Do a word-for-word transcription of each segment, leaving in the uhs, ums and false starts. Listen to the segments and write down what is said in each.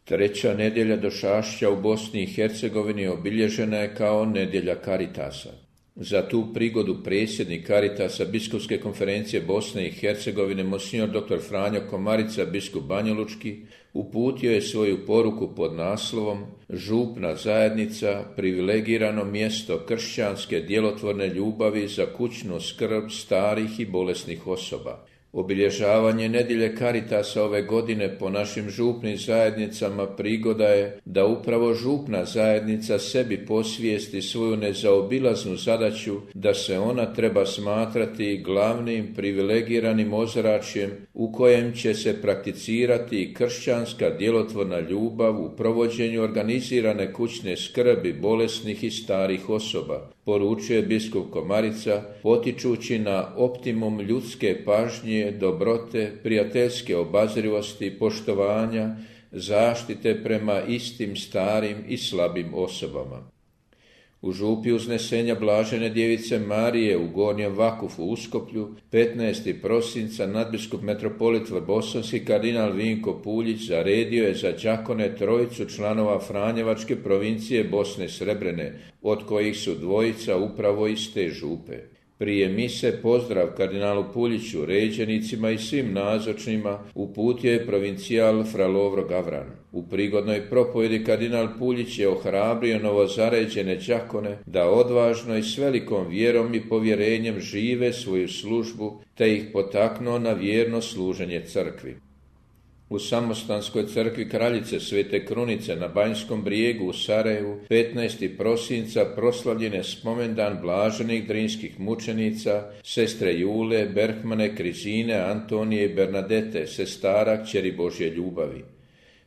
Treća nedjelja došašća u Bosni i Hercegovini obilježena je kao nedjelja Karitasa. Za tu prigodu predsjednik Karitasa Biskupske konferencije Bosne i Hercegovine monsignor doktor Franjo Komarica, biskup banjalučki, uputio je svoju poruku pod naslovom Župna zajednica, privilegirano mjesto kršćanske djelotvorne ljubavi za kućnu skrb starih i bolesnih osoba. Obilježavanje nedjelje Karitasa ove godine po našim župnim zajednicama prigoda je da upravo župna zajednica sebi posvijesti svoju nezaobilaznu zadaću da se ona treba smatrati glavnim privilegiranim ozračjem u kojem će se prakticirati kršćanska djelotvorna ljubav u provođenju organizirane kućne skrbi bolesnih i starih osoba, poručuje biskup Komarica, potičući na optimum ljudske pažnje, dobrote, prijateljske obazrivosti, poštovanja, zaštite prema istim starim i slabim osobama. U župi uznesenja Blažene djevice Marije u Gornjem Vakufu u Uskoplju petnaestog prosinca nadbiskup metropolit Vrbosanski kardinal Vinko Puljić zaredio je za đakone trojicu članova Franjevačke provincije Bosne Srebrene, od kojih su dvojica upravo iz te župe. Prije mise pozdrav kardinalu Puljiću, ređenicima i svim nazočnima uputio je provincijal fra Lovro Gavran. U prigodnoj propovjedi kardinal Puljić je ohrabrio novozaređene đakone da odvažno i s velikom vjerom i povjerenjem žive svoju službu, te ih potaknuo na vjerno služenje crkvi. U Samostanskoj crkvi Kraljice Svete Krunice na Banjskom brijegu u Sarajevu petnaestog prosinca proslavljen je spomendan blaženih drinskih mučenica, sestre Jule, Berhmane, Krizine, Antonije i Bernadete, sestara kćeri Božje ljubavi.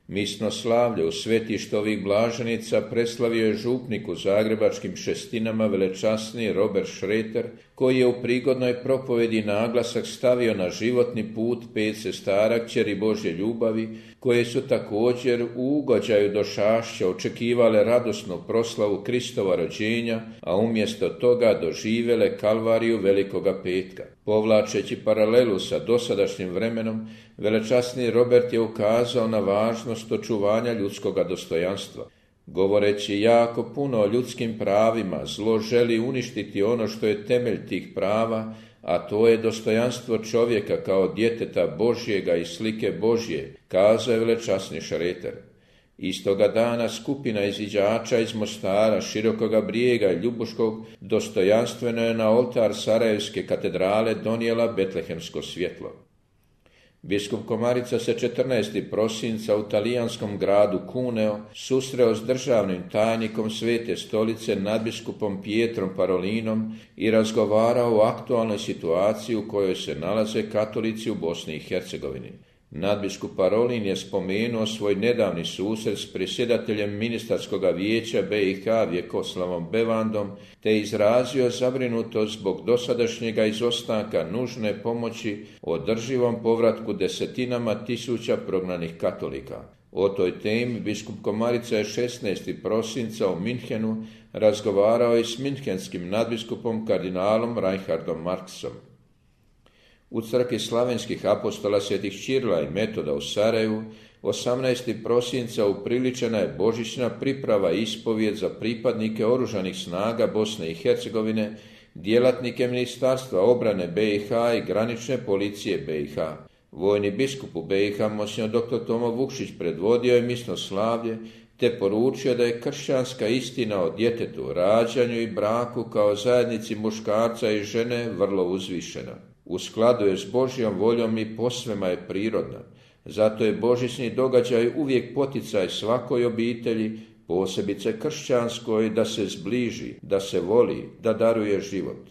Misno slavlje u svetištu ovih blaženicama preslavio je župnik u zagrebačkim Šestinama velečasni Robert Šreter, koji je u prigodnoj propovedi naglasak stavio na životni put pet sestara kćeri Božje ljubavi, koje su također u ugođaju došašća očekivale radosnu proslavu Kristova rođenja, a umjesto toga doživjele kalvariju Velikoga petka. Povlačeći paralelu sa dosadašnjim vremenom, velečasni Robert je ukazao na važnost očuvanja ljudskoga dostojanstva. Govoreći jako puno o ljudskim pravima, zlo želi uništiti ono što je temelj tih prava, a to je dostojanstvo čovjeka kao djeteta Božjega i slike Božje, kazao je velečasni Šreter. Istoga dana skupina iziđača iz Mostara, Širokoga brijega i Ljubuškog dostojanstveno je na oltar Sarajevske katedrale donijela betlehemsko svjetlo. Biskup Komarica se četrnaestog prosinca u talijanskom gradu Cuneo susreo s državnim tajnikom Svete stolice nadbiskupom Pietrom Parolinom i razgovarao o aktualnoj situaciji u kojoj se nalaze katolici u Bosni i Hercegovini. Nadbiskup Parolin je spomenuo svoj nedavni susret s predsjedateljem ministarskog vijeća B i H Vjekoslavom Bevandom te izrazio zabrinutost zbog dosadašnjega izostanka nužne pomoći održivom povratku desetinama tisuća prognanih katolika. O toj temi biskup Komarica je šesnaestog prosinca u Minhenu razgovarao i s minhenskim nadbiskupom kardinalom Reinhardom Marksom. U crkvi slavenskih apostola svetih Ćirila i Metoda u Sarajevu osamnaestog prosinca upriličena je božićna priprava i ispovijed za pripadnike oružanih snaga Bosne i Hercegovine, djelatnike Ministarstva obrane B i H i granične policije B i H. Vojni biskup u B i H monsignor doktor Tomo Vukšić predvodio je misno slavlje te poručio da je kršćanska istina o djetetu, rađanju i braku kao zajednici muškarca i žene vrlo uzvišena. U skladu je s Božjom voljom i posvema je prirodna. Zato je božićni događaj uvijek poticaj svakoj obitelji, posebice kršćanskoj, da se zbliži, da se voli, da daruje život.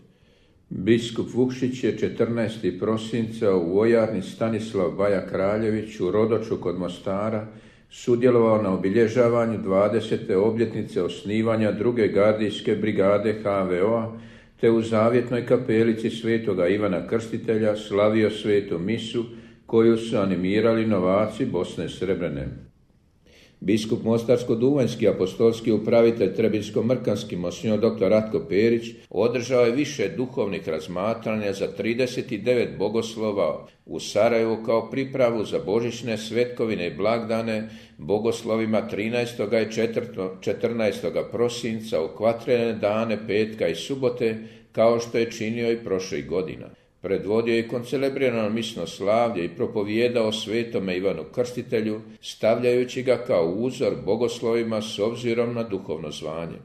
Biskup Vukšić je četrnaestog prosinca u vojarni Stanislav Baja Kraljević u Rodoču kod Mostara sudjelovao na obilježavanju dvadesete obljetnice osnivanja druge gardijske brigade H V O-a, te u zavjetnoj kapelici svetoga Ivana Krstitelja slavio svetu misu koju su animirali novaci Bosne Srebrene. Biskup Mostarsko-duvanjski apostolski upravitelj Trebinsko-mrkanski monsignor doktor Ratko Perić održao je više duhovnih razmatranja za trideset devet bogoslova u Sarajevu kao pripravu za božićne svetkovine i blagdane bogoslovima trinaestog i četrnaestog prosinca u kvatrene dane petka i subote, kao što je činio i prošlih godina. Predvodio je koncelebrirano misno slavlje i propovijedao svetome Ivanu Krstitelju, stavljajući ga kao uzor bogoslovima s obzirom na duhovno zvanje.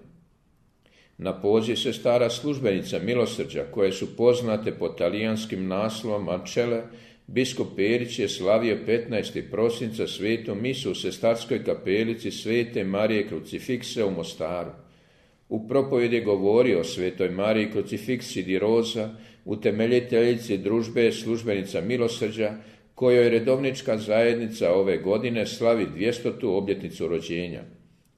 Na poziv sestara službenica milosrđa, koje su poznate pod talijanskim naslovom Ancelle, biskup Perić je slavio petnaestog prosinca svetu misu u sestarskoj kapelici Svete Marije Krucifikse u Mostaru. U propovjedi je govorio o Svetoj Mariji Krucifiksi di Rosa, utemeljiteljici družbe službenica milosrđa, kojoj redovnička zajednica ove godine slavi dvjestotu obljetnicu rođenja.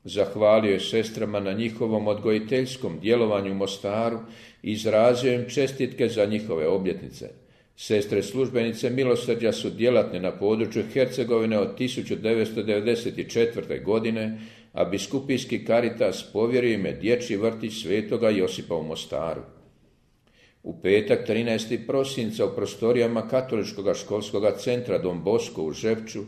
Zahvalio je sestrama na njihovom odgojiteljskom djelovanju u Mostaru i izrazio im čestitke za njihove obljetnice. Sestre službenice milosrđa su djelatne na području Hercegovine od tisuću devetsto devedeset četvrte. godine, a biskupijski Karitas povjerio im je dječji vrtić Svetoga Josipa u Mostaru. U petak trinaestog prosinca u prostorijama Katoličkog školskog centra Don Bosco u Žepču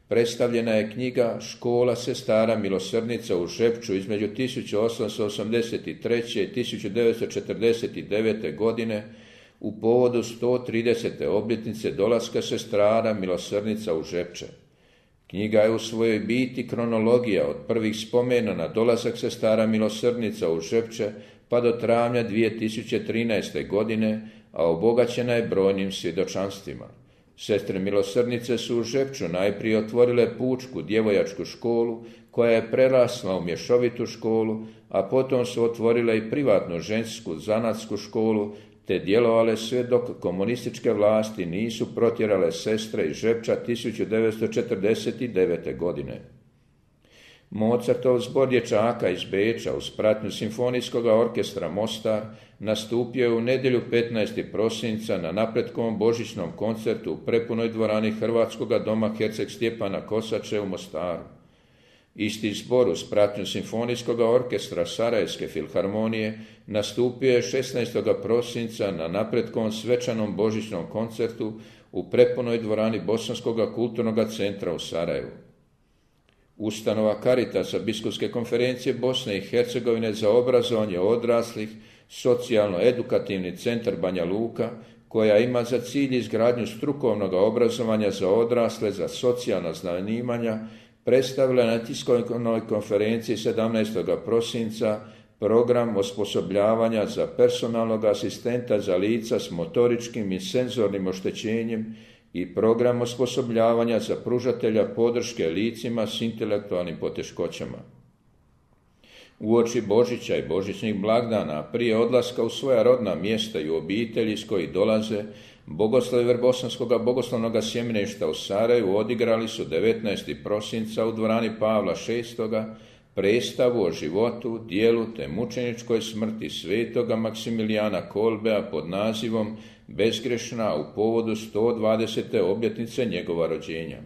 predstavljena je knjiga Škola sestara milosrdnica u Žepču između tisuću osamsto osamdeset treće. i tisuću devetsto četrdeset devete. godine u povodu sto tridesete obljetnice dolaska sestara milosrdnica u Žepče. Knjiga je u svojoj biti kronologija od prvih spomena na dolazak sestara milosrdnica u Žepče pa do travnja dvije tisuće trinaeste. godine, a obogaćena je brojnim svjedočanstvima. Sestre milosrdnice su u Žepču najprije otvorile pučku djevojačku školu, koja je prerasla u mješovitu školu, a potom su otvorile i privatnu žensku zanatsku školu, te djelovale sve dok komunističke vlasti nisu protjerale sestre iz Žepča tisuću devetsto četrdeset devete. godine. Mozartov zbor dječaka iz Beča uz pratnju simfonijskog orkestra Mostar nastupio je u nedjelju petnaestog prosinca na napretkovom božićnom koncertu u prepunoj dvorani Hrvatskoga doma Herceg Stjepana Kosače u Mostaru. Isti zbor uz pratnju simfonijskog orkestra Sarajevske filharmonije nastupio je šesnaestog prosinca na napretkovom svečanom božićnom koncertu u prepunoj dvorani Bosanskog kulturnog centra u Sarajevu. Ustanova Karitasa Biskupske konferencije Bosne i Hercegovine za obrazovanje odraslih, socijalno-edukativni centar Banja Luka, koja ima za cilj izgradnju strukovnog obrazovanja za odrasle za socijalna zanimanja, predstavila na tiskovnoj konferenciji sedamnaestog prosinca program osposobljavanja za personalnog asistenta za lica s motoričkim i senzornim oštećenjem i program osposobljavanja za pružatelja podrške licima s intelektualnim poteškoćama. Uoči Božića i božićnih blagdana, prije odlaska u svoja rodna mjesta i u obitelji iz kojih dolaze, bogoslovi Vrbosanskog bogoslovnog sjemeništa u Sarajevu odigrali su devetnaestog prosinca u dvorani Pavla šestoga predstavu o životu, dijelu te mučeničkoj smrti svetoga Maksimilijana Kolbea pod nazivom Bezgrešna u povodu sto dvadesete obljetnice njegova rođenja.